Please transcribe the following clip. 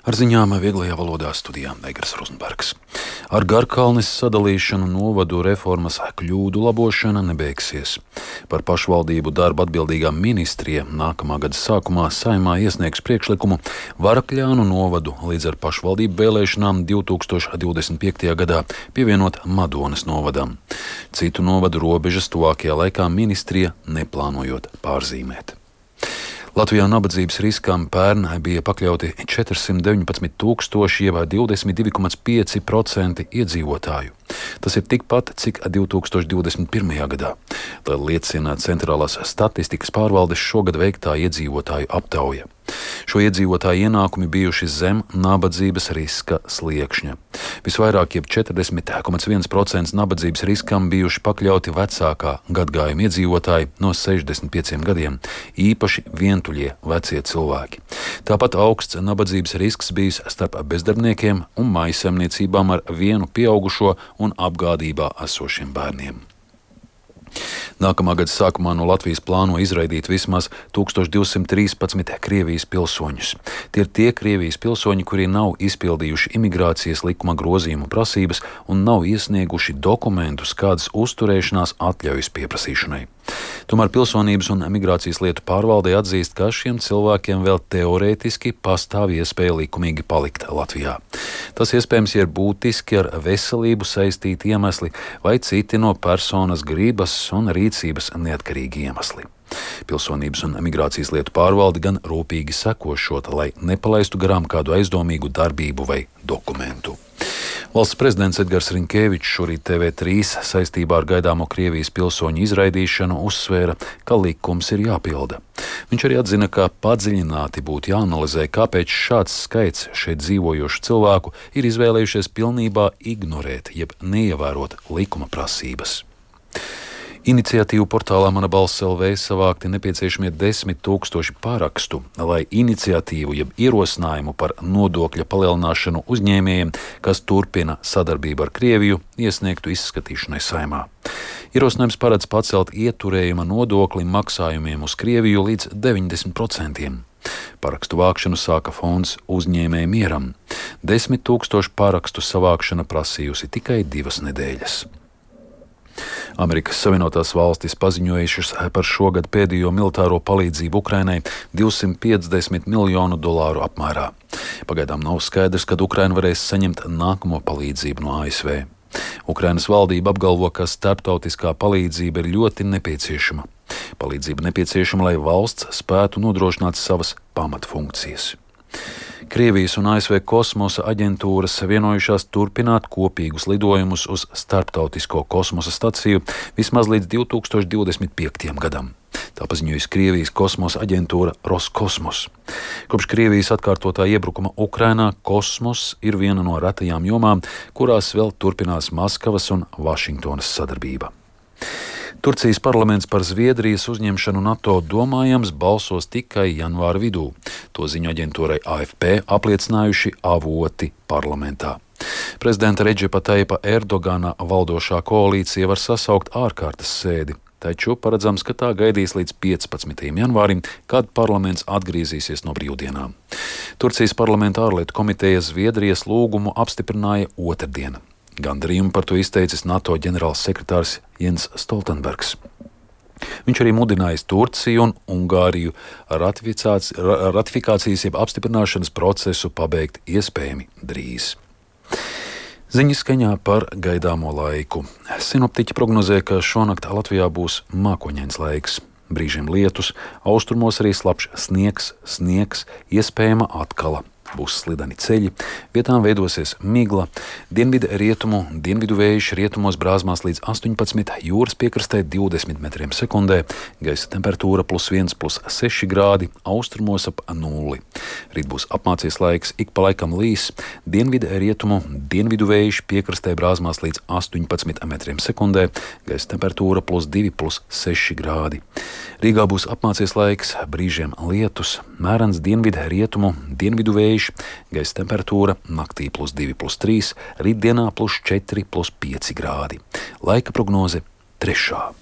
Ar ziņām vieglajā valodā studijā Egers Rozenbergs. Ar Garkalnes sadalīšanu novadu reformas kļūdu labošana nebeigsies. Par pašvaldību darbu atbildīgā ministrija nākamā gada sākumā Saeimā iesniegs priekšlikumu Varakļānu novadu līdz ar pašvaldību vēlēšanām 2025. gadā pievienot Madonas novadam. Citu novadu robežas tuvākajā laikā ministrija neplānojot pārzīmēt. Latvijā nabadzības riskam pērn bija pakļauti 419 000, jeb 22,5% iedzīvotāju. Tas ir tikpat, cik 2021. gadā. Tā liecina Centrālās statistikas pārvaldes šogad veiktā iedzīvotāju aptauja. Šo iedzīvotāju ienākumi bijuši zem nabadzības riska sliekšņa. Visvairāk, jeb 40,1% nabadzības riskam bijuši pakļauti vecākā gadgājuma iedzīvotāji no 65 gadiem, īpaši vientuļie vecie cilvēki. Tāpat augsts nabadzības risks bijis starp bezdarbniekiem un mājsaimniecībām ar vienu pieaugušo un apgādībā esošiem bērniem. Nākamā gada sākumā no Latvijas plāno izraidīt vismaz 1213 Krievijas pilsoņus. Tie ir tie Krievijas pilsoņi, kuri nav izpildījuši imigrācijas likuma grozījumu prasības un nav iesnieguši dokumentus kādas uzturēšanās atļaujas pieprasīšanai. Tomēr Pilsonības un migrācijas lietu pārvalde atzīst, ka šiem cilvēkiem vēl teorētiski pastāv iespēja likumīgi palikt Latvijā. Tas iespējams ir būtiski ar veselību saistīti iemesli vai citi no personas gribas un rīcības neatkarīgi iemesli. Pilsonības un migrācijas lietu pārvalde gan rūpīgi seko šot, lai nepalaistu garām kādu aizdomīgu darbību vai dokumentu. Valsts prezidents Edgars Rinkēvičs šorīt TV3 saistībā ar gaidāmo Krievijas pilsoņu izraidīšanu uzsvēra, ka likums ir jāpilda. Viņš arī atzina, ka padziļināti būtu jāanalizē, kāpēc šāds skaits šeit dzīvojošu cilvēku ir izvēlējušies pilnībā ignorēt, jeb neievērot likuma prasības. Iniciatīvu portālā Mana balss LV savākti nepieciešamie 10 000 parakstu, lai iniciatīvu jeb ierosinājumu par nodokļa palielināšanu uzņēmējiem, kas turpina sadarbību ar Krieviju, iesniegtu izskatīšanai Saeimā. Ierosinājums paredz pacelt ieturējuma nodokli maksājumiem uz Krieviju līdz 90%. Parakstu vākšanu sāka fonds Uzņēmēju mieram. 10 000 parakstu savākšana prasījusi tikai 2 nedēļas. Amerikas Savienotās valstis paziņojušas par šogad pēdējo militāro palīdzību Ukrainai $250 miljonu apmērā. Pagaidām nav skaidrs, kad Ukraina varēs saņemt nākamo palīdzību no ASV. Ukrainas valdība apgalvo, ka starptautiskā palīdzība ir ļoti nepieciešama. Palīdzība nepieciešama, lai valsts spētu nodrošināt savas pamatfunkcijas. Krievijas un ASV kosmosa aģentūras vienojušās turpināt kopīgus lidojumus uz starptautisko kosmosa staciju vismaz līdz 2025. gadam. Tā paziņojusi Krievijas kosmosa aģentūra Roskosmos. Kopš Krievijas atkārtotā iebrukuma Ukrainā kosmos ir viena no retajām jomām, kurās vēl turpinās Maskavas un Vašingtonas sadarbība. Turcijas parlaments par Zviedrijas uzņemšanu NATO domājams balsos tikai janvāra vidū. To ziņu aģentūrai AFP apliecinājuši avoti parlamentā. Prezidenta Redžepa Taipa Erdogana valdošā koalīcija var sasaukt ārkārtas sēdi, taču paredzams, ka tā gaidīs līdz 15. janvārim, kad parlaments atgriezīsies no brīvdienām. Turcijas parlamenta ārlietu komiteja Zviedrijas lūgumu apstiprināja otrdien. Gandarījumu par to izteicis NATO ģenerāls sekretārs Jens Stoltenbergs. Viņš arī mudinājis Turciju un Ungāriju ratifikācijas jeb apstiprināšanas procesu pabeigt iespējami drīz. Ziņas skaņā par gaidāmo laiku. Sinoptiķi prognozē, ka šonakt Latvijā būs mākoņains laiks. Brīžiem lietus, austrumos arī slapjš sniegs, iespējama atkala. Būs slideni ceļi, vietām veidosies migla, dienvidu vējš rietumos brāzmās līdz 18, jūras piekrastē 20 metriem sekundē, gaisa temperatūra +1, +6 grādi, austrumos ap 0. Rīt būs apmācies laiks, ik pa laikam līs, dienvidu vējš piekrastē brāzmās līdz 18 metriem sekundē, gaisa temperatūra +2, +6 grādi. Rīgā būs apmācies laiks, brīžiem lietus, mērens dienvidu vējš, gaisa temperatūra naktī +2, +3, rītdienā +4, +5 grādi. Laika prognoze 3.